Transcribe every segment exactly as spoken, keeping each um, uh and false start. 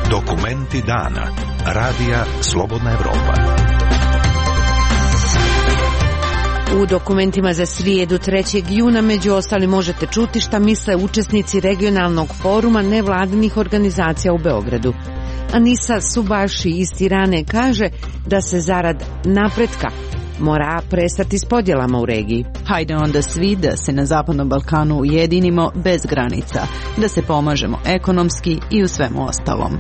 Dokumenti dana. Radija Slobodna Evropa. U dokumentima za srijedu trećeg juna među ostalim možete čuti šta misle učesnici regionalnog foruma nevladinih organizacija u Beogradu. Anisa Subaši iz Tirane kaže da se zarad napretka mora prestati s podjelama u regiji. Hajde onda svi da se na Zapadnom Balkanu ujedinimo bez granica, da se pomažemo ekonomski i u svemu ostalom.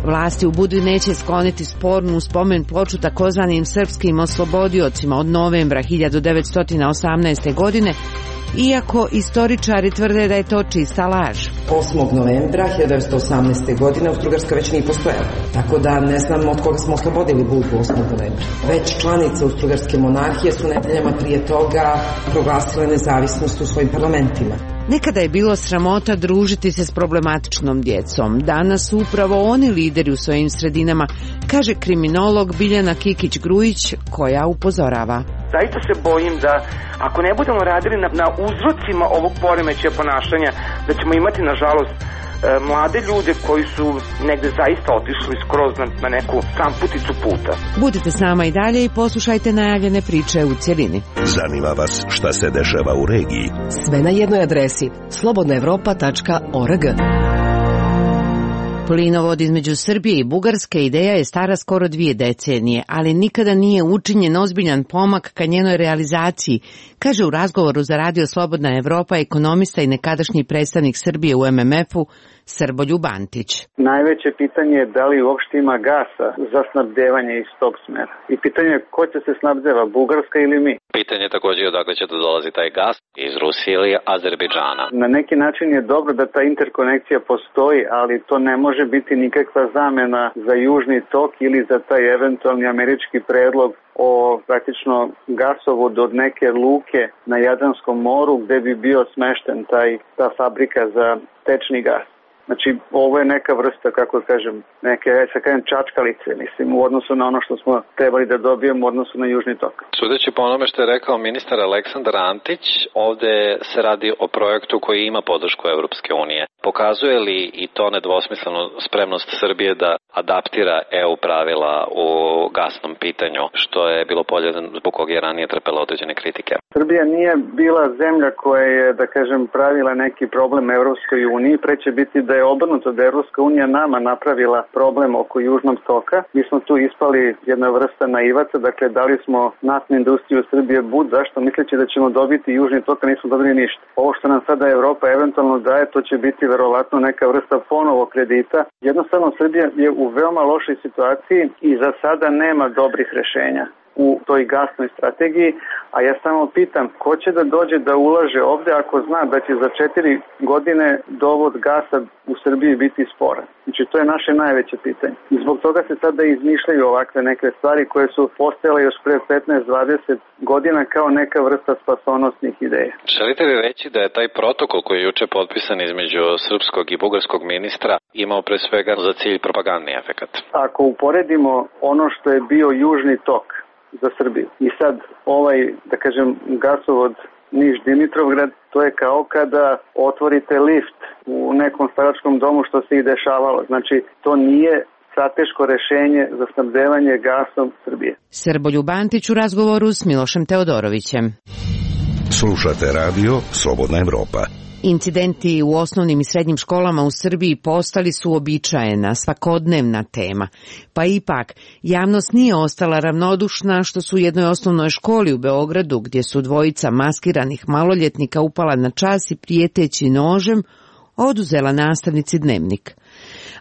Vlasti u Budvi neće skloniti spornu spomen ploču takozvanim srpskim oslobodiocima od novembra hiljadu devetsto osamnaeste. godine, iako istoričari tvrde da je to čista laž. osmog novembra hiljadu devetsto osamnaeste. godine Austro-Ugarska već nije postojala, tako da ne znam od koga smo oslobodili Budvu osmog novembra. Već članice Austro-Ugarske monarhije su nedeljama prije toga proglasile nezavisnost u svojim parlamentima. Nekada je bilo sramota družiti se s problematičnom djecom. Danas su upravo oni lideri u svojim sredinama, kaže kriminolog Biljana Kikić-Grujić, koja upozorava. Zaista se bojim da ako ne budemo radili na, na uzrocima ovog poremećaja ponašanja, da ćemo imati, nažalost, e, mlade ljude koji su negde zaista otišli skroz na, na neku samputicu puta. Budite s nama i dalje i poslušajte najavljene priče u cjelini. Zanima vas šta se dešava u regiji? Sve na jednoj adresi slobodna evropa tačka org. Plinovod između Srbije i Bugarske ideja je stara skoro dvije decenije, ali nikada nije učinjen ozbiljan pomak ka njenoj realizaciji, kaže u razgovoru za Radio Slobodna Evropa ekonomista i nekadašnji predstavnik Srbije u em em efu Srboljub Antić. Najveće pitanje je da li uopšte ima gasa za snabdevanje iz tog smera. I pitanje je ko će se snabdeva, Bugarska ili mi? Pitanje je također odakle će da dolazi taj gas, iz Rusije ili Azerbejdžana. Na neki način je dobro da ta interkonekcija postoji, ali to ne može biti nikakva zamena za južni tok ili za taj eventualni američki predlog o praktično gasovod od neke luke na Jadranskom moru gde bi bio smešten taj, ta fabrika za tečni gas. Znači, ovo je neka vrsta, kako kažem, neke, sa kažem, čačkalice, mislim, u odnosu na ono što smo trebali da dobijemo u odnosu na južni tok. Sudeći po onome što je rekao ministar Aleksandar Antić, ovde se radi o projektu koji ima podršku Evropske unije. Pokazuje li i to nedvosmislenu spremnost Srbije da adaptira E U pravila u gasnom pitanju, što je bilo polje zbog kog je ranije trpela određene kritike? Srbija nije bila zemlja koja je, da kažem, pravila neki problem Evropskoj uniji, pre će biti da je obrnuto, da je Evropska unija nama napravila problem oko južnog toka. Mi smo tu ispali jedna vrsta naivaca, dakle dali smo naftnu industriju Srbije bud, zašto misleći da ćemo dobiti južni tok, a nismo dobili ništa. Ovo što nam sada Evropa eventualno daje, to će biti verovatno neka vrsta ponovo kredita. Jednostavno Srbija je u veoma lošoj situaciji i za sada nema dobrih rešenja u toj gasnoj strategiji, a ja samo pitam ko će da dođe da ulaže ovde ako zna da će za četiri godine dovod gasa u Srbiji biti sporan. Znači to je naše najveće pitanje. I zbog toga se sada izmišljaju ovakve neke stvari koje su postojale još pre petnaest dvadeset godina kao neka vrsta spasonosnih ideja. Želite li reći da je taj protokol koji je juče potpisan između srpskog i bugarskog ministra imao pre svega za cilj propagandni efekat? Ako uporedimo ono što je bio južni tok za Srbiju i sad ovaj, da kažem, gasovod Niš-Dimitrovgrad, to je kao kada otvorite lift u nekom staračkom domu, što se i dešavalo. Znači, to nije strateško rešenje za snabdevanje gasom Srbije. Srboljub Antić u razgovoru s Milošem Teodorovićem. Slušate radio Slobodna Evropa. Incidenti u osnovnim i srednjim školama u Srbiji postali su uobičajena, svakodnevna tema. Pa ipak, javnost nije ostala ravnodušna što su u jednoj osnovnoj školi u Beogradu, gdje su dvojica maskiranih maloljetnika upala na čas i prijeteći nožem, oduzela nastavnici dnevnik.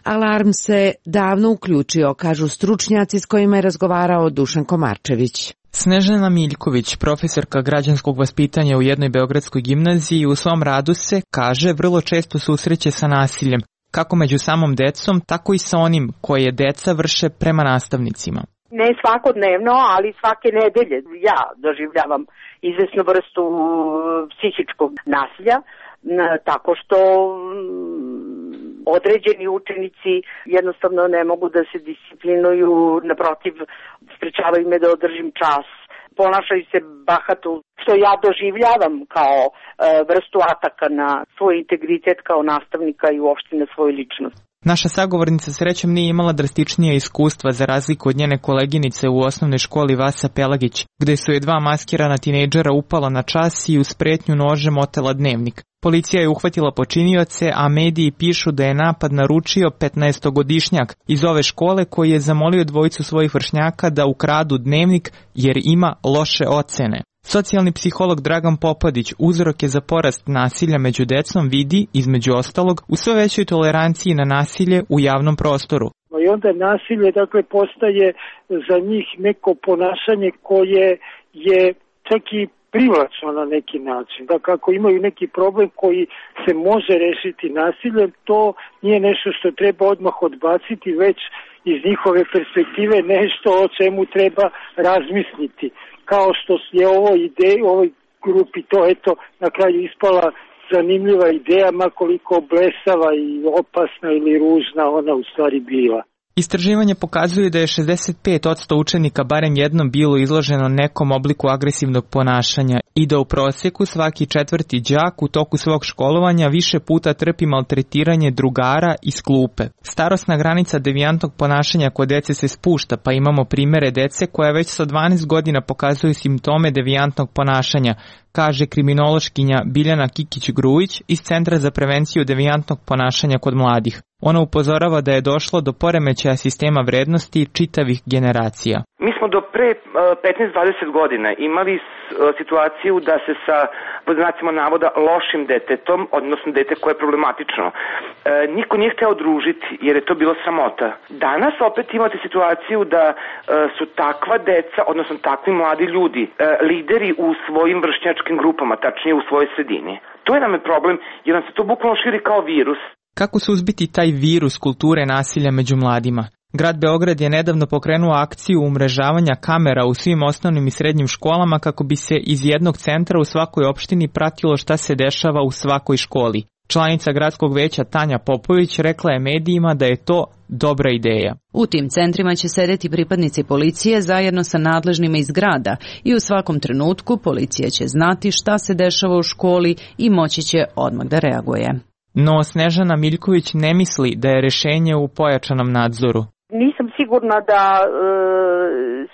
Alarm se davno uključio, kažu stručnjaci s kojima je razgovarao Dušan Komarčević. Snežana Miljković, profesorka građanskog vaspitanja u jednoj beogradskoj gimnaziji, u svom radu se, kaže, vrlo često susreće sa nasiljem, kako među samom decom, tako i sa onim koje deca vrše prema nastavnicima. Ne svakodnevno, ali svake nedelje ja doživljavam izvesnu vrstu psihičkog nasilja, tako što određeni učenici jednostavno ne mogu da se disciplinuju, naprotiv, sprečavaju me da održim čas, ponašaju se bahato, što ja doživljavam kao e, vrstu ataka na svoj integritet kao nastavnika i uopšte na svoju ličnost. Naša sagovornica srećom nije imala drastičnije iskustva za razliku od njene koleginice u osnovnoj školi Vasa Pelagić, gde su je dva maskirana tinejdžera upala na čas i uz pretnju nožem otela dnevnik. Policija je uhvatila počinioce, a mediji pišu da je napad naručio petnaestogodišnjak iz ove škole koji je zamolio dvojicu svojih vršnjaka da ukradu dnevnik jer ima loše ocene. Socijalni psiholog Dragan Popadić uzroke za porast nasilja među decom vidi, između ostalog, u sve većoj toleranciji na nasilje u javnom prostoru. I onda nasilje dakle postaje za njih neko ponašanje koje je čak i privlačno na neki način. Dakle, ako imaju neki problem koji se može rešiti nasiljem, to nije nešto što treba odmah odbaciti, već iz njihove perspektive nešto o čemu treba razmisliti. Kao što je ovo ideja, ovoj grupi to eto na kraju ispala zanimljiva ideja, ma koliko blesava i opasna ili ružna ona u stvari bila. Istraživanje pokazuje da je šezdeset pet posto učenika barem jednom bilo izloženo nekom obliku agresivnog ponašanja i da u prosjeku svaki četvrti đak u toku svog školovanja više puta trpi maltretiranje drugara iz klupe. Starosna granica devijantnog ponašanja kod dece se spušta, pa imamo primere dece koja već sa dvanaest godina pokazuju simptome devijantnog ponašanja, kaže kriminološkinja Biljana Kikić-Grujić iz Centra za prevenciju devijantnog ponašanja kod mladih. Ona upozorava da je došlo do poremećaja sistema vrednosti čitavih generacija. Mi smo do pre petnaest do dvadeset godina imali situaciju da se sa, pod znacima navoda, lošim detetom, odnosno dete koje je problematično, niko nije hteo družiti jer je to bilo sramota. Danas opet imate situaciju da su takva deca, odnosno takvi mladi ljudi, lideri u svojim vršnjačkim grupama, tačnije u svojoj sredini. To je nam je problem jer nam se to bukvalno širi kao virus. Kako suzbiti taj virus kulture nasilja među mladima? Grad Beograd je nedavno pokrenuo akciju umrežavanja kamera u svim osnovnim i srednjim školama kako bi se iz jednog centra u svakoj opštini pratilo šta se dešava u svakoj školi. Članica gradskog veća Tanja Popović rekla je medijima da je to dobra ideja. U tim centrima će sedeti pripadnici policije zajedno sa nadležnima iz grada i u svakom trenutku policija će znati šta se dešava u školi i moći će odmah da reaguje. No Snežana Miljković ne misli da je rešenje u pojačanom nadzoru. Nisam sigurna da e,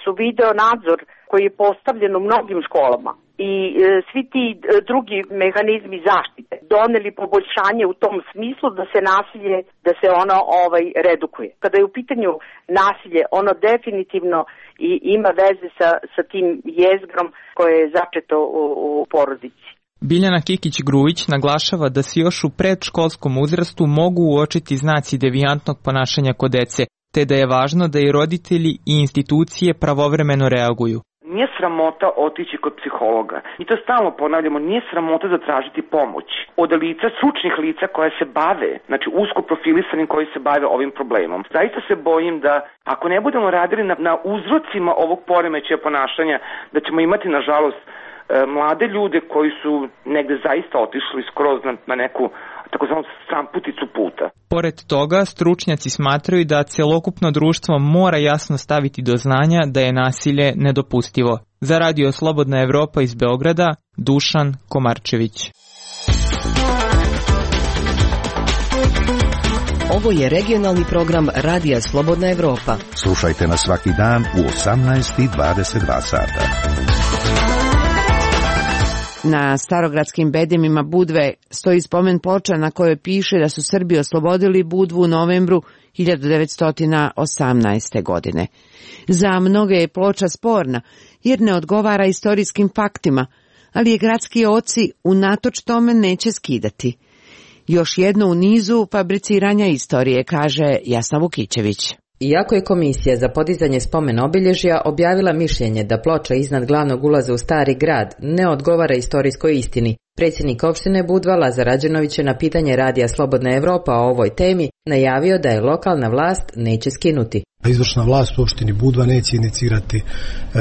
su video nadzor koji je postavljen u mnogim školama i e, svi ti e, drugi mehanizmi zaštite doneli poboljšanje u tom smislu da se nasilje, da se ono ovaj redukuje. Kada je u pitanju nasilje, ono definitivno i ima veze sa, sa tim jezgrom koje je začeto u, u porodici. Biljana Kikić-Grujić naglašava da se još u predškolskom uzrastu mogu uočiti znaci devijantnog ponašanja kod dece, te da je važno da i roditelji i institucije pravovremeno reaguju. Nije sramota otići kod psihologa. I to stalno ponavljamo, nije sramota zatražiti pomoć od lica, stručnih lica koja se bave, znači usko profilisanim koji se bave ovim problemom. Zaista se bojim da ako ne budemo radili na, na uzrocima ovog poremećaja ponašanja, da ćemo imati nažalost mlade ljude koji su negde zaista otišli skroz na, na neku takozvanu stramputicu puta. Pored toga, stručnjaci smatraju da celokupno društvo mora jasno staviti do znanja da je nasilje nedopustivo. Za Radio Slobodna Evropa iz Beograda, Dušan Komarčević. Ovo je regionalni program Radija Slobodna Evropa. Slušajte nas svaki dan u osamnaest i dvadeset dva sata. Na starogradskim bedemima Budve stoji spomen ploča na kojoj piše da su Srbi oslobodili Budvu u novembru hiljadu devetsto osamnaeste. godine. Za mnoge je ploča sporna jer ne odgovara istorijskim faktima, ali je gradski oci unatoč tome neće skidati. Još jedno u nizu fabriciranja istorije, kaže Jasna Vukićević. Iako je Komisija za podizanje spomen obilježja objavila mišljenje da ploča iznad glavnog ulaza u Stari grad ne odgovara istorijskoj istini, predsjednik opštine Budva Lazar Rađenović je na pitanje Radija Slobodna Evropa o ovoj temi najavio da je lokalna vlast neće skinuti. Izvršna vlast u opštini Budva neće inicirati e,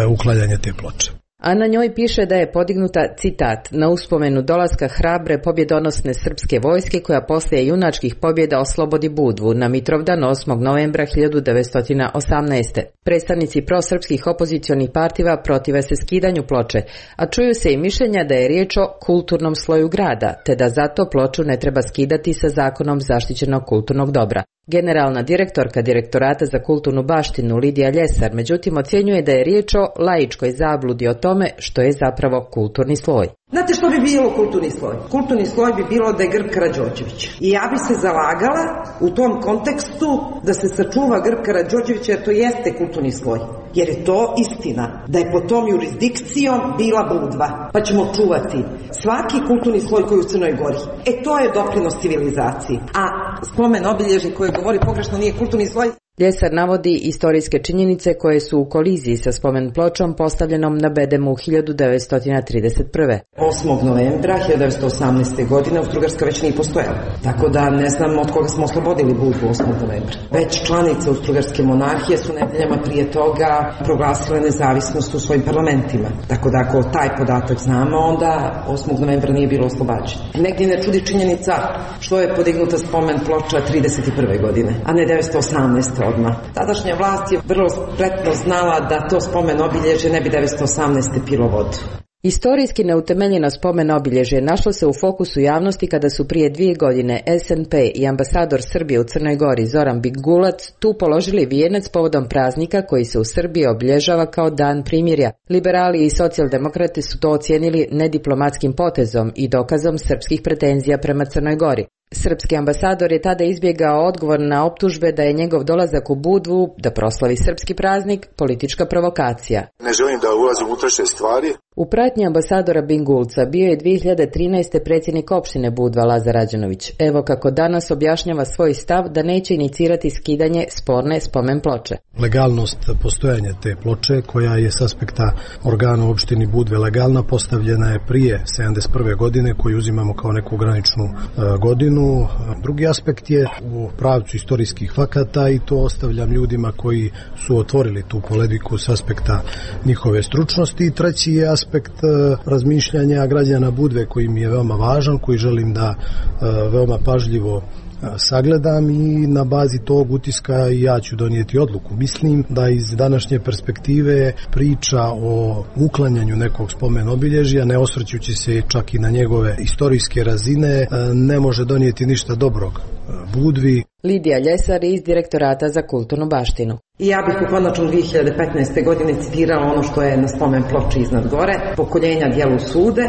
uklanjanje te ploče. a na njoj piše da je podignuta, citat, na uspomenu dolaska hrabre pobjedonosne srpske vojske koja poslije junačkih pobjeda oslobodi Budvu na Mitrovdan osmog novembra hiljadu devetsto osamnaeste. Predstavnici prosrpskih opozicionih partiva protive se skidanju ploče, a čuju se i mišljenja da je riječ o kulturnom sloju grada, te da zato ploču ne treba skidati sa zakonom zaštićenog kulturnog dobra. Generalna direktorka Direktorata za kulturnu baštinu Lidija Ljesar međutim ocjenjuje da je riječ o laičkoj zabludi o tome što je zapravo kulturni sloj. Znate što bi bilo kulturni sloj? Kulturni sloj bi bilo da je Grb Karađorđević. I ja bi se zalagala u tom kontekstu da se sačuva Grb Karađorđevića, jer to jeste kulturni sloj. Jer je to istina, da je pod tom jurisdikcijom bila Budva, pa ćemo čuvati svaki kulturni sloj koji je u Crnoj Gori. E to je doprinos civilizaciji. A spomen obilježje koje govori pogrešno nije kulturni sloj. Ljesar navodi istorijske činjenice koje su u koliziji sa spomen pločom postavljenom na Bedemu hiljadu devetsto trideset prve. osmog novembra hiljadu devetsto osamnaeste. godine Austrougarska već nije postojala. Tako da ne znam od koga smo oslobodili Budvu osmog novembra. Već članice Austrougarske monarhije su nedeljama prije toga proglasile nezavisnost u svojim parlamentima. Tako da ako taj podatak znamo, onda osmog novembra nije bilo oslobađeno. Negdje ne čudi činjenica što je podignuta spomen ploča trideset prve. godine, a ne devetsto osamnaeste. odmah. Tadašnja vlast je vrlo spretno znala da to spomen obilježje ne bi devetsto osamnaeste. pilo vodu. Istorijski neutemeljeno spomen obilježje našlo se u fokusu javnosti kada su prije dvije godine S N P i ambasador Srbije u Crnoj Gori Zoran Bigulac tu položili vijenac povodom praznika koji se u Srbiji obilježava kao Dan primirja. Liberali i socijaldemokrati su to ocijenili nediplomatskim potezom i dokazom srpskih pretenzija prema Crnoj Gori. Srpski ambasador je tada izbjegao odgovor na optužbe da je njegov dolazak u Budvu, da proslavi srpski praznik, politička provokacija. Ne želim da ulazim u unutrašnje stvari. U pratnji ambasadora Bingulca bio je dvije hiljade trinaeste. predsjednik opštine Budva Lazar Rađenović. Evo kako danas objašnjava svoj stav da neće inicirati skidanje sporne spomen ploče. Legalnost postojanja te ploče, koja je s aspekta organa u opštini Budve legalna, postavljena je prije sedamdeset prve. godine, koju uzimamo kao neku graničnu uh, godinu. Drugi aspekt je u pravcu istorijskih fakata i to ostavljam ljudima koji su otvorili tu polemiku s aspekta njihove stručnosti. I treći je aspekt uh, razmišljanja građana Budve koji mi je veoma važan, koji želim da uh, veoma pažljivo sagledam i na bazi tog utiska i ja ću donijeti odluku. Mislim da iz današnje perspektive priča o uklanjanju nekog spomen obilježja, ne osvrćući se čak i na njegove istorijske razine, ne može donijeti ništa dobrog Budvi. Lidija Ljesar iz Direktorata za kulturnu baštinu. I ja bih u konačnom dvije hiljade petnaeste. godine citirala ono što je na spomen ploči iznad gore, pokoljenja dijelu sude.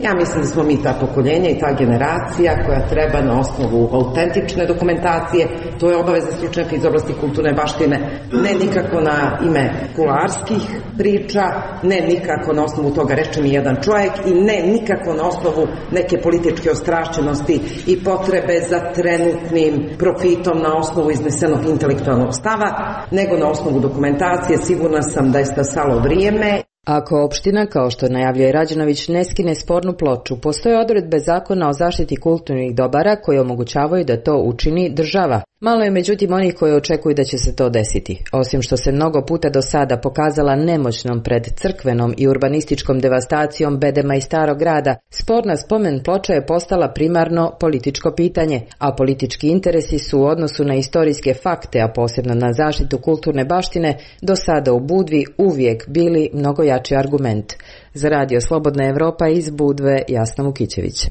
Ja mislim da smo mi ta pokoljenja i ta generacija koja treba na osnovu autentične dokumentacije, to je obaveza stručnjaka iz oblasti kulturne baštine, ne nikako na ime kularskih priča, ne nikako na osnovu toga reče mi jedan čovjek i ne nikako na osnovu neke političke ostrašćenosti i potrebe za trenutnim profitom na osnovu iznesenog intelektualnog stava, nego na osnovu dokumentacije. Sigurna sam da je stasalo vrijeme. Ako opština, kao što najavljuje Rađenović, ne skine spornu ploču, postoje odredbe zakona o zaštiti kulturnih dobara koje omogućavaju da to učini država. Malo je međutim onih koji očekuju da će se to desiti. Osim što se mnogo puta do sada pokazala nemoćnom pred crkvenom i urbanističkom devastacijom Bedema i Starog grada, sporna spomen ploča je postala primarno političko pitanje, a politički interesi su u odnosu na istorijske fakte, a posebno na zaštitu kulturne baštine, do sada u Budvi uvijek bili mnogo jači argument. Za Radio Slobodna Evropa iz Budve, Jasna Vukićević.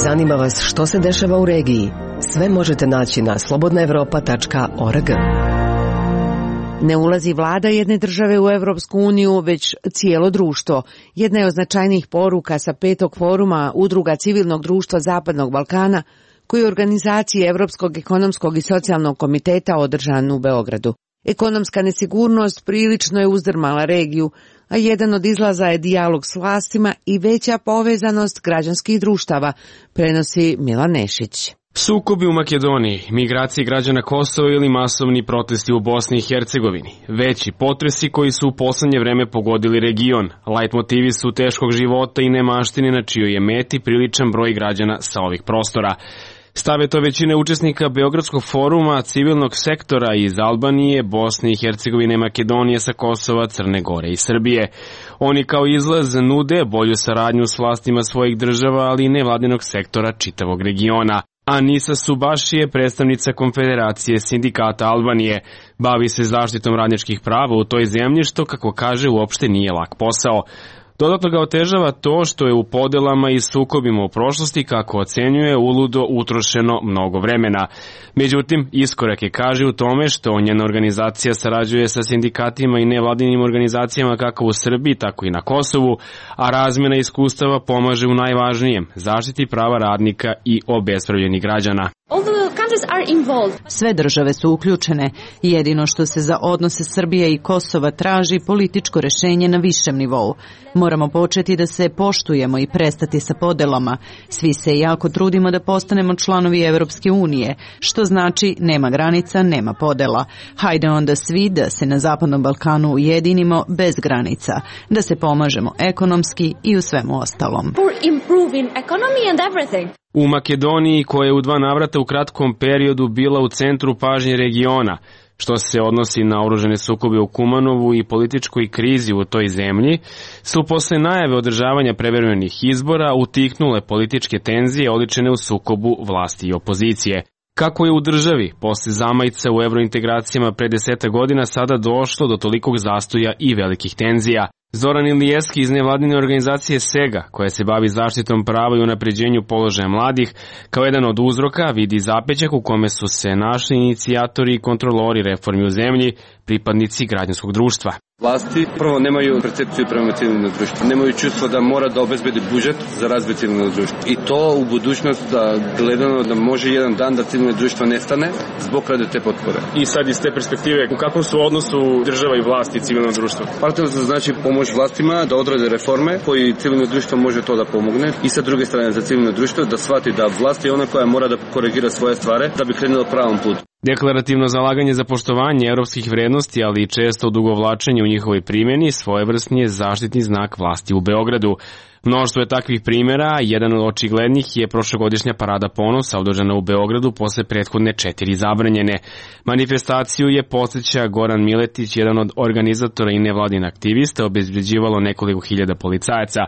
Zanima vas što se dešava u regiji? Sve možete naći na slobodna evropa tačka org. Ne ulazi vlada jedne države u Evropsku uniju, već cijelo društvo. Jedna je od značajnijih poruka sa petog foruma Udruga civilnog društva Zapadnog Balkana, koji je u organizaciji Evropskog ekonomskog i socijalnog komiteta održan u Beogradu. Ekonomska nesigurnost prilično je uzdrmala regiju, a jedan od izlaza je dijalog s vlastima i veća povezanost građanskih društava, prenosi Milan Nešić. Sukobi u Makedoniji, migracije građana Kosova ili masovni protesti u Bosni i Hercegovini, veći potresi koji su u poslednje vreme pogodili region, lajt motivi su teškog života i nemaštine na čijoj je meti priličan broj građana sa ovih prostora. Stave to većine učesnika Beogradskog foruma, civilnog sektora iz Albanije, Bosne i Hercegovine, Makedonije, sa Kosova, Crne Gore i Srbije. Oni kao izlaz nude bolju saradnju s vlastima svojih država, ali i nevladinog sektora čitavog regiona. Anisa Subaši je predstavnica Konfederacije sindikata Albanije. Bavi se zaštitom radničkih prava u toj zemlji, što, kako kaže, uopšte nije lak posao. Dodatno ga otežava to što je u podelama i sukobima u prošlosti, kako ocenjuje, uludo utrošeno mnogo vremena. Međutim, iskorak je, kaže, u tome što njena organizacija sarađuje sa sindikatima i nevladinim organizacijama kako u Srbiji, tako i na Kosovu, a razmjena iskustava pomaže u najvažnijem, zaštiti prava radnika i obespravljenih građana. Sve države su uključene. Jedino što se za odnose Srbije i Kosova traži političko rešenje na višem nivou. Moramo početi da se poštujemo i prestati sa podelama. Svi se jako trudimo da postanemo članovi Evropske unije, što znači nema granica, nema podela. Hajde onda svi da se na Zapadnom Balkanu ujedinimo bez granica, da se pomažemo ekonomski i u svemu ostalom. U Makedoniji, koja je u dva navrata u kratkom periodu bila u centru pažnje regiona, što se odnosi na oružane sukobe u Kumanovu i političkoj krizi u toj zemlji, su posle najave održavanja prevremenih izbora utihnule političke tenzije oličene u sukobu vlasti i opozicije. Kako je u državi, posle zamajca u evrointegracijama pre deseta godina, sada došlo do tolikog zastoja i velikih tenzija? Zoran Ilijeski iz nevladine organizacije SEGA, koja se bavi zaštitom prava i unapređenju položaja mladih, kao jedan od uzroka vidi zapećak u kome su se našli inicijatori i kontrolori reformi u zemlji, pripadnici građanskog društva. Vlasti prvo nemaju percepciju prema civilnom društvu, nemaju čustvo da mora da obezbedi budžet za razvoj civilnog društva. I to u budućnost da gledano da može jedan dan da civilno društvo nestane zbog rade te potpore. I sad iz te perspektive, u kakvom su odnosu država i vlasti i civilno društvo? Partnerstvo znači pomoć vlastima da odrade reforme koji civilno društvo može to da pomogne i sa druge strane za civilno društvo da shvati da vlast je ona koja mora da korigira svoje stvari da bi krenula pravom putu. Deklarativno zalaganje za poštovanje evropskih vrednosti, ali i često odugovlačenje u njihovoj primjeni, svojevrsni je zaštitni znak vlasti u Beogradu. Mnoštvo je takvih primjera, jedan od očiglednih je prošlogodišnja parada ponosa održana u Beogradu posle prethodne četiri zabranjene. Manifestaciju je, podsjeća Goran Miletić, jedan od organizatora i nevladin aktivista, obezbeđivalo nekoliko hiljada policajaca.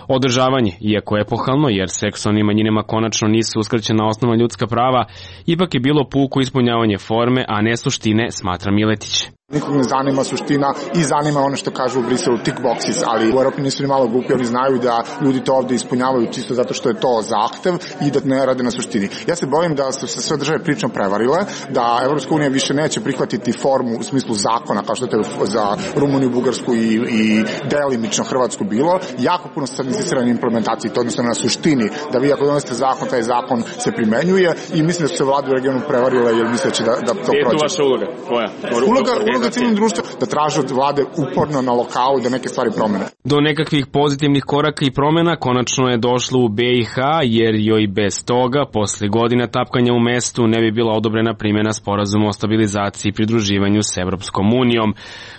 Održavanje, iako epohalno, jer seksualnim manjinama konačno nisu uskraćena osnovna ljudska prava, ipak je bilo puko ispunjavanje forme, a ne suštine, smatra Miletić. Nikog ne zanima suština i zanima ono što kažu u Briselu tick boxes, ali u Europi nisu ni malo glupi, oni znaju da ljudi to ovde ispunjavaju čisto zato što je to zahtev i da ne rade na suštini. Ja se bojim da su se sve države prično prevarile, da Evropska unija više neće prihvatiti formu u smislu zakona kao što je za Rumuniju, Bugarsku i, i delimično Hrvatsku bilo. Jako puno se sad insistira na implementaciji, to odnosno na suštini, da vi ako donesete zakon, taj zakon se primenjuje i mislim da su se vlade u regionu prevarile jer misleći da, da to prođe. Je tu vaša uloga? Koja? Uloga, uloga civilnog društva da traže od vlade uporno na lokalu da neke stvari promene. Do nekakvih pozitivnih koraka i promena konačno je došlo u B i H, jer joj bez toga, posle godina tapkanja u mestu, ne bi bila odobrena primjena sporazuma o stabilizaciji i pridruživanju s Evropskom unijom.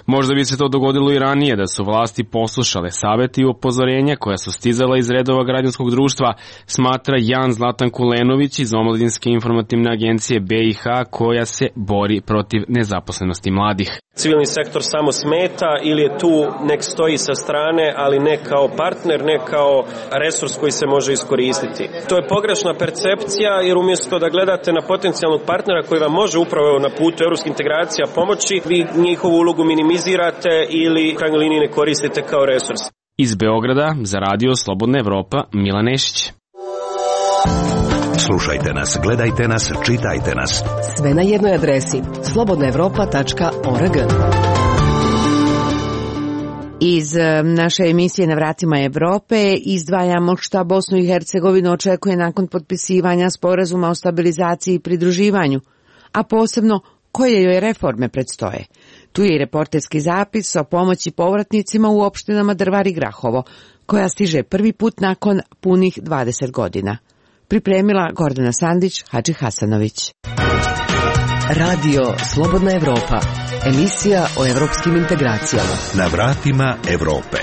Možda bi se to dogodilo i ranije da su vlasti poslušale saveti i upozorenja koja su stizala iz redova građanskog društva, smatra Jan Zlatan Kulenović iz Omladinske informativne agencije B i H, koja se bori protiv nezaposlenosti mladih. Civilni sektor samo smeta ili je tu nek stoji sa strane, ali ne kao partner, ne kao resurs koji se može iskoristiti. To je pogrešna percepcija, jer umjesto da gledate na potencijalnog partnera koji vam može upravo na putu evropskih integracija pomoći, vi njihovu ulogu minimizirate ili u krajnjoj liniji ne koristite kao resurs. Iz Beograda za radio Slobodna Evropa, Milan Nešić. Slušajte nas, gledajte nas, čitajte nas. Sve na jednoj adresi slobodna evropa tačka org. Iz naše emisije Na vratima Evrope izdvajamo šta Bosnu i Hercegovinu očekuje nakon potpisivanja sporazuma o stabilizaciji i pridruživanju, a posebno koje joj reforme predstoje. Tu je i reporterski zapis o pomoći povratnicima u opštinama Drvar i Grahovo, koja stiže prvi put nakon punih dvadeset godina. Pripremila Gordana Sandić, Hadži Hasanović. Radio Slobodna Evropa, emisija o evropskim integracijama. Na vratima Evrope.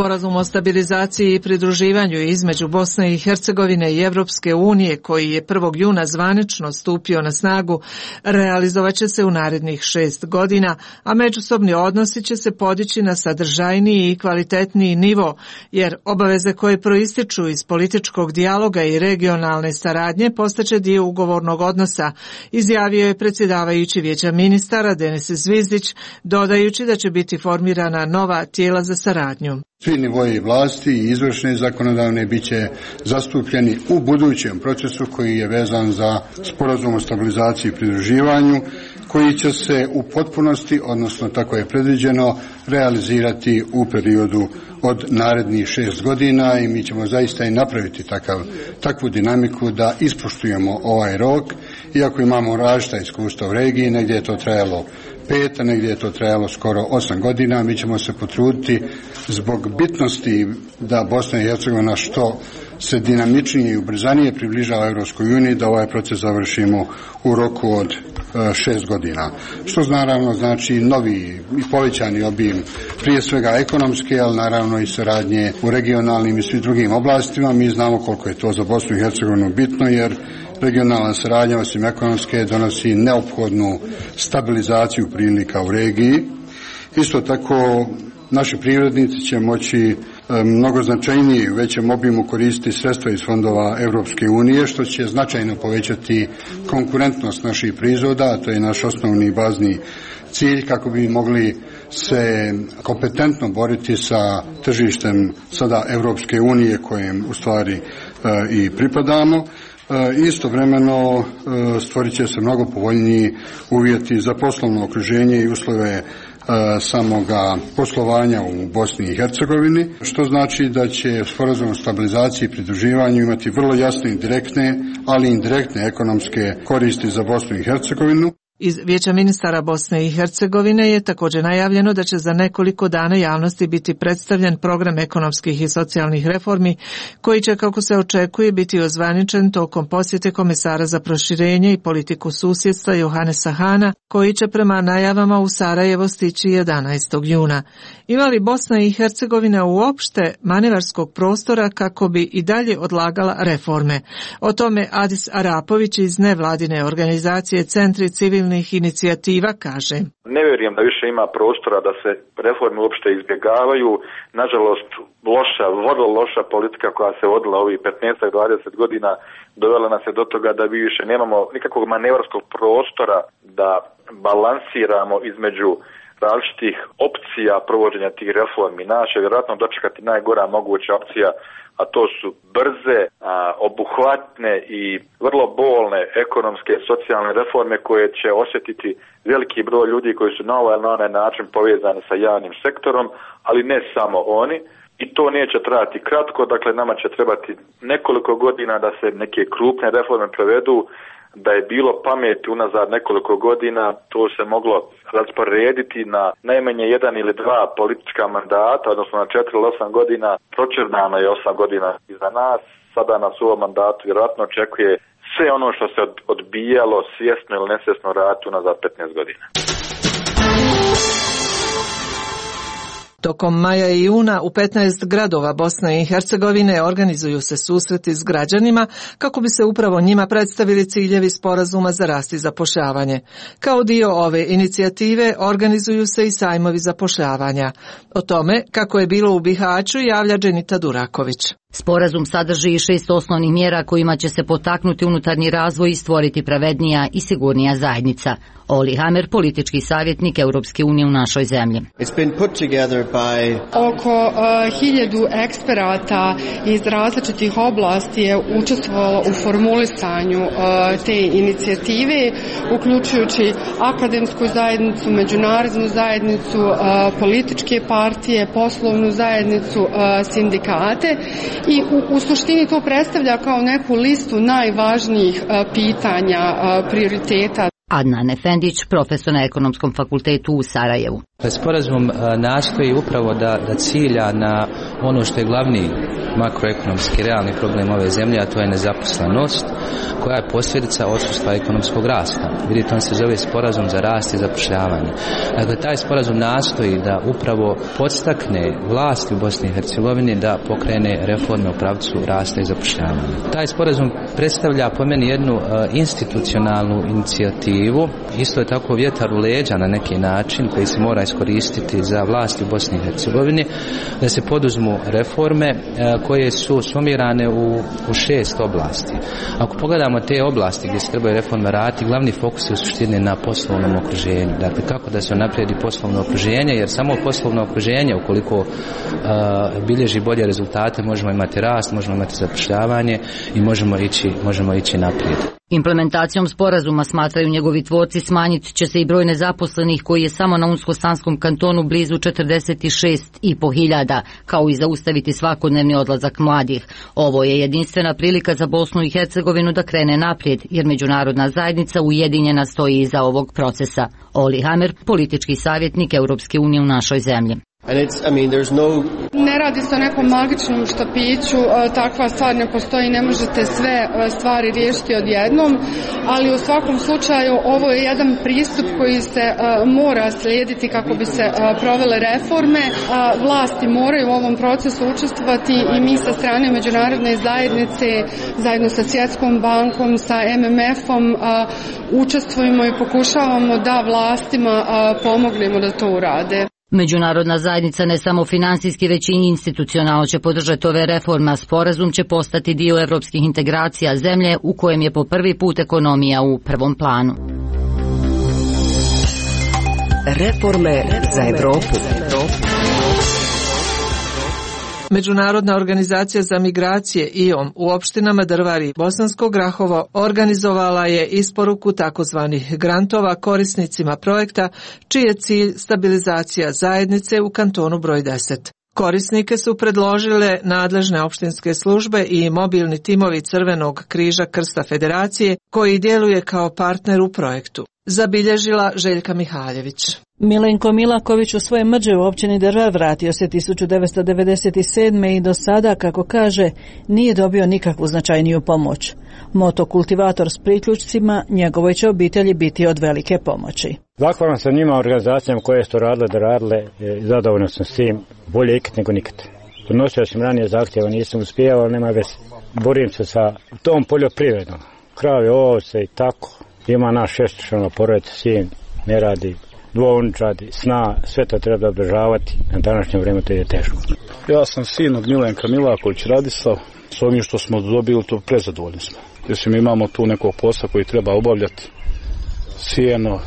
Sporazum o stabilizaciji i pridruživanju između Bosne i Hercegovine i Evropske unije, koji je prvog juna zvanično stupio na snagu, realizovat će se u narednih šest godina, a međusobni odnosi će se podići na sadržajniji i kvalitetniji nivo, jer obaveze koje proističu iz političkog dijaloga i regionalne saradnje postaće dio ugovornog odnosa, izjavio je predsjedavajući Vijeća ministara Denis Zvizdić, dodajući da će biti formirana nova tijela za saradnju. Svi nivoji vlasti i izvršne i zakonodavne bit će zastupljeni u budućem procesu koji je vezan za sporazum o stabilizaciji i pridruživanju, koji će se u potpunosti, odnosno tako je predviđeno, realizirati u periodu od narednih šest godina i mi ćemo zaista i napraviti takav, takvu dinamiku da ispoštujemo ovaj rok, iako imamo različita iskustva u regiji, negdje je to trajalo pet, a negdje je to trajalo skoro osam godina. Mi ćemo se potruditi zbog bitnosti da Bosna i Hercegovina što se dinamičnije i ubrzanije približava Europskoj uniji, da ovaj proces završimo u roku od šest godina. Što naravno znači novi i povećani obim, prije svega ekonomske, ali naravno i saradnje u regionalnim i svim drugim oblastima. Mi znamo koliko je to za Bosnu i Hercegovinu bitno, jer regionalna saradnja osim ekonomske donosi neophodnu stabilizaciju prilika u regiji. Isto tako naši privrednici će moći mnogo značajnije i u većem obimu koristiti sredstva iz fondova Europske unije, što će značajno povećati konkurentnost naših proizvoda, a to je naš osnovni bazni cilj kako bi mogli se kompetentno boriti sa tržištem sada Europske unije kojem u stvari i pripadamo. Istovremeno stvorit će se mnogo povoljniji uvjeti za poslovno okruženje i uslove samoga poslovanja u Bosni i Hercegovini, što znači da će sporazum o stabilizaciji i pridruživanju imati vrlo jasne i direktne, ali i indirektne ekonomske koristi za Bosnu i Hercegovinu. Iz Vijeća ministara Bosne i Hercegovine je također najavljeno da će za nekoliko dana javnosti biti predstavljen program ekonomskih i socijalnih reformi, koji će, kako se očekuje, biti ozvaničen tokom posjete komesara za proširenje i politiku susjedstva Johanesa Hana, koji će prema najavama u Sarajevo stići jedanaestog juna. Ima li Bosna i Hercegovina uopšte manevarskog prostora kako bi i dalje odlagala reforme? O tome Adis Arapović iz nevladine organizacije Centri civilnih inicijativa kaže: Ne vjerujem da više ima prostora da se reforme uopšte izbjegavaju. Nažalost, loša, vrlo loša politika koja se vodila ovih petnaest do dvadeset godina dovela nas je do toga da mi više nemamo nikakvog manevarskog prostora da balansiramo između različitih opcija provođenja tih reformi. Nas će vjerojatno dočekati najgora moguća opcija, a to su brze, a, obuhvatne i vrlo bolne ekonomske i socijalne reforme koje će osjetiti veliki broj ljudi koji su na ovaj ili na onaj način povezani sa javnim sektorom, ali ne samo oni. I to neće trajati kratko, dakle nama će trebati nekoliko godina da se neke krupne reforme provedu. Da je bilo pameti unazad nekoliko godina, to se moglo rasporediti na najmanje jedan ili dva politička mandata, odnosno na četiri ili osam godina. Pročernano je osam godina iza nas, sada nas u ovom mandatu vjerojatno očekuje sve ono što se odbijalo svjesno ili nesvjesno raditi unazad petnaest godina. Tokom maja i juna u petnaest gradova Bosne i Hercegovine organizuju se susreti s građanima kako bi se upravo njima predstavili ciljevi sporazuma za rast i zapošljavanje. Kao dio ove inicijative organizuju se i sajmovi zapošljavanja. O tome kako je bilo u Bihaću javlja Dženita Duraković. Sporazum sadrži šest osnovnih mjera kojima će se potaknuti unutarnji razvoj i stvoriti pravednija i sigurnija zajednica. Oli Hamer, politički savjetnik Europske unije u našoj zemlji. By... Oko uh, hiljadu eksperata iz različitih oblasti je učestvovalo u formulisanju uh, te inicijative, uključujući akademsku zajednicu, međunarodnu zajednicu, uh, političke partije, poslovnu zajednicu, uh, sindikate i u, u suštini to predstavlja kao neku listu najvažnijih uh, pitanja, uh, prioriteta. Adnan Efendić, profesor na Ekonomskom fakultetu u Sarajevu. Sporazum nastoji upravo da, da cilja na ono što je glavni makroekonomski realni problem ove zemlje, a to je nezaposlenost, koja je posljedica odsustva ekonomskog rasta. Vidite, on se zove sporazum za rast i zapošljavanje. Dakle, taj sporazum nastoji da upravo podstakne vlasti u Bosni i Hercegovini da pokrene reforme u pravcu rasta i zapošljavanja. Taj sporazum predstavlja po meni jednu uh, institucionalnu inicijativu, isto je tako vjetar u leđa na neki način koji se mora iskoristiti za vlasti u Bosni i Hercegovini, da se poduzmu reforme uh, koje su sumirane u, u šest oblasti. Ako pogledamo te oblasti gdje se trebaju reforme raditi, glavni fokus je u suštini na poslovnom okruženju. Dakle, kako da se naprijedi poslovno okruženje, jer samo poslovno okruženje, ukoliko uh, bilježi bolje rezultate, možemo imati rast, možemo imati zapošljavanje i možemo ići, možemo ići naprijed. Implementacijom sporazuma, smatraju njegovi tvorci, smanjit će se i broj nezaposlenih koji je samo na Unsko-Sanskom kantonu blizu četrdeset šest i po hiljada, kao i zaustaviti svakodnevni odlazak mladih. Ovo je jedinstvena prilika za Bosnu i Hercegovinu da krene naprijed, jer međunarodna zajednica ujedinjena stoji iza ovog procesa. Oli Hamer, politički savjetnik Europske unije u našoj zemlji. And it's, I mean, there's no... Ne radi se o nekom magičnom štapiću, takva stvar ne postoji, ne možete sve stvari riješiti odjednom, ali u svakom slučaju ovo je jedan pristup koji se mora slijediti kako bi se provele reforme. Vlasti moraju u ovom procesu učestvovati i mi sa strane međunarodne zajednice, zajedno sa Svjetskom bankom, sa M M F-om, učestvujemo i pokušavamo da vlastima pomognemo da to urade. Međunarodna zajednica ne samo finansijski, već i institucionalno će podržati ove reforme, a sporazum će postati dio evropskih integracija zemlje u kojem je po prvi put ekonomija u prvom planu. Reforme za Evropu. Međunarodna organizacija za migracije I O M u opštinama Drvar i Bosansko Grahovo organizovala je isporuku takozvanih grantova korisnicima projekta, čiji je cilj stabilizacija zajednice u kantonu broj deset. Korisnike su predložile nadležne opštinske službe i mobilni timovi Crvenog križa Krsta Federacije, koji djeluje kao partner u projektu. Zabilježila Željka Mihaljević. Milenko Milaković u svoje mrđe u općini Drvar vratio se tisuću devetsto devedeset sedme. i do sada, kako kaže, nije dobio nikakvu značajniju pomoć. Motokultivator s priključcima njegovoj će obitelji biti od velike pomoći. Zahvalan sam njima, organizacijama koje su radile da radile, zadovoljno sam s tim, bolje ikad nego nikad. Donosio sam ranije zahtjeva, nisam uspijevao, ali nema veze. Borim se sa tom poljoprivredom, krave, ovce i tako. Ima naš šestočlana porodica, sin ne radi, dvounčadi, sna, sve to treba održavati, na današnje vrijeme to je teško. Ja sam sin od Milenka Milaković Radislav, s ovim što smo dobili to prezadovoljni smo. Jer mi imamo tu nekog posla koji treba obavljati, sijeno,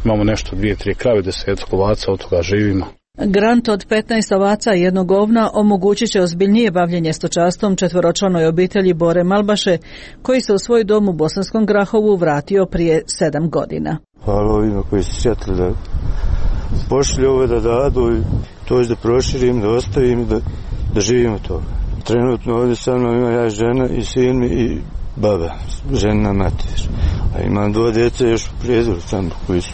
imamo nešto dvije, tri krave, deset ovaca, od toga živimo. Grant od petnaest ovaca i jednog ovna omogućit će ozbiljnije bavljenje stočarstvom četvoročlanoj obitelji Bore Malbaše, koji se u svoj dom u Bosanskom Grahovu vratio prije sedam godina. Hvala ovima koji su sjetili da pošli ovo da dadu i to da proširim, da ostavim, da, da živimo to. Trenutno ovdje sa mnom ima ja žena i sin i baba, žena mater. A imam dvoje djece još u prijezoru tamo koji su.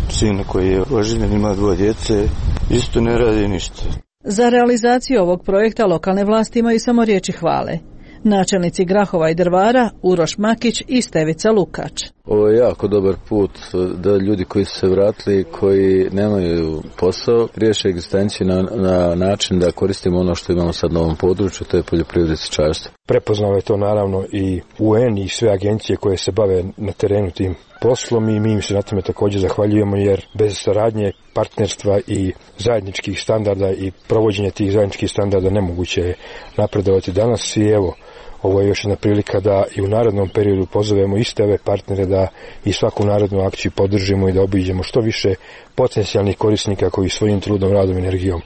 Sina koji je oženjen, ima dvoje djece, isto ne radi ništa. Za realizaciju ovog projekta lokalne vlasti imaju samo riječi hvale. Načelnici Grahova i Drvara, Uroš Makić i Stevica Lukač. Ovo je jako dobar put da ljudi koji su se vratili, koji nemaju posao, riješe egzistenciju na, na način da koristimo ono što imamo sad na ovom području, to je poljoprivredno stočarstvo. Prepoznao je to naravno i U N i sve agencije koje se bave na terenu tim poslom i mi im se na tome također zahvaljujemo, jer bez saradnje, partnerstva i zajedničkih standarda i provođenja tih zajedničkih standarda nemoguće je napredovati danas. I evo, ovo je još jedna prilika da i u narednom periodu pozovemo iste ove partnere da i svaku narednu akciju podržimo i da obiđemo što više potencijalnih korisnika koji svojim trudom, radom i energijom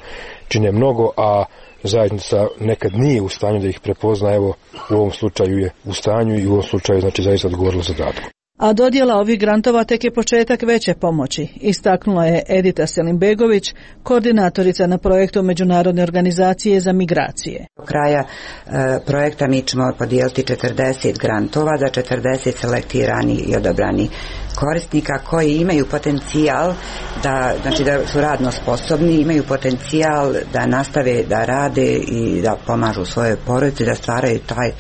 čine mnogo, a zajednica nekad nije u stanju da ih prepozna. Evo, u ovom slučaju je u stanju i u ovom slučaju znači zaista odgovorila zadatku. A dodjela ovih grantova tek je početak veće pomoći, istaknula je Edita Selimbegović, koordinatorica na projektu Međunarodne organizacije za migracije. Do kraja e, projekta mi ćemo podijeliti četrdeset grantova za četrdeset selektirani i odabrani korisnika koji imaju potencijal da, znači da su radno sposobni, imaju potencijal da nastave da rade i da pomažu svoje porodice, da stvaraju taj, e,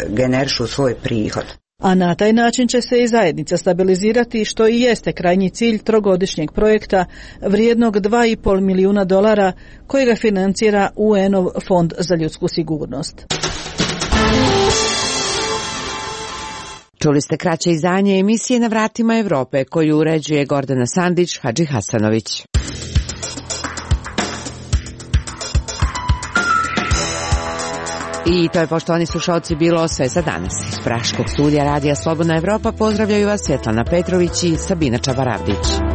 generišu svoj prihod. A na taj način će se i zajednica stabilizirati, što i jeste krajnji cilj trogodišnjeg projekta vrijednog dva i pol milijuna dolara kojega financira U N-ov Fond za ljudsku sigurnost. Čuli ste kraće izdanje emisije Na vratima Evrope koju uređuje Gordana Sandić Hadži Hasanović. I to je, poštovani slušalci, bilo sve za danas. Iz praškog studija Radija Slobodna Evropa pozdravljaju vas Svetlana Petrović i Sabina Čabaravdić.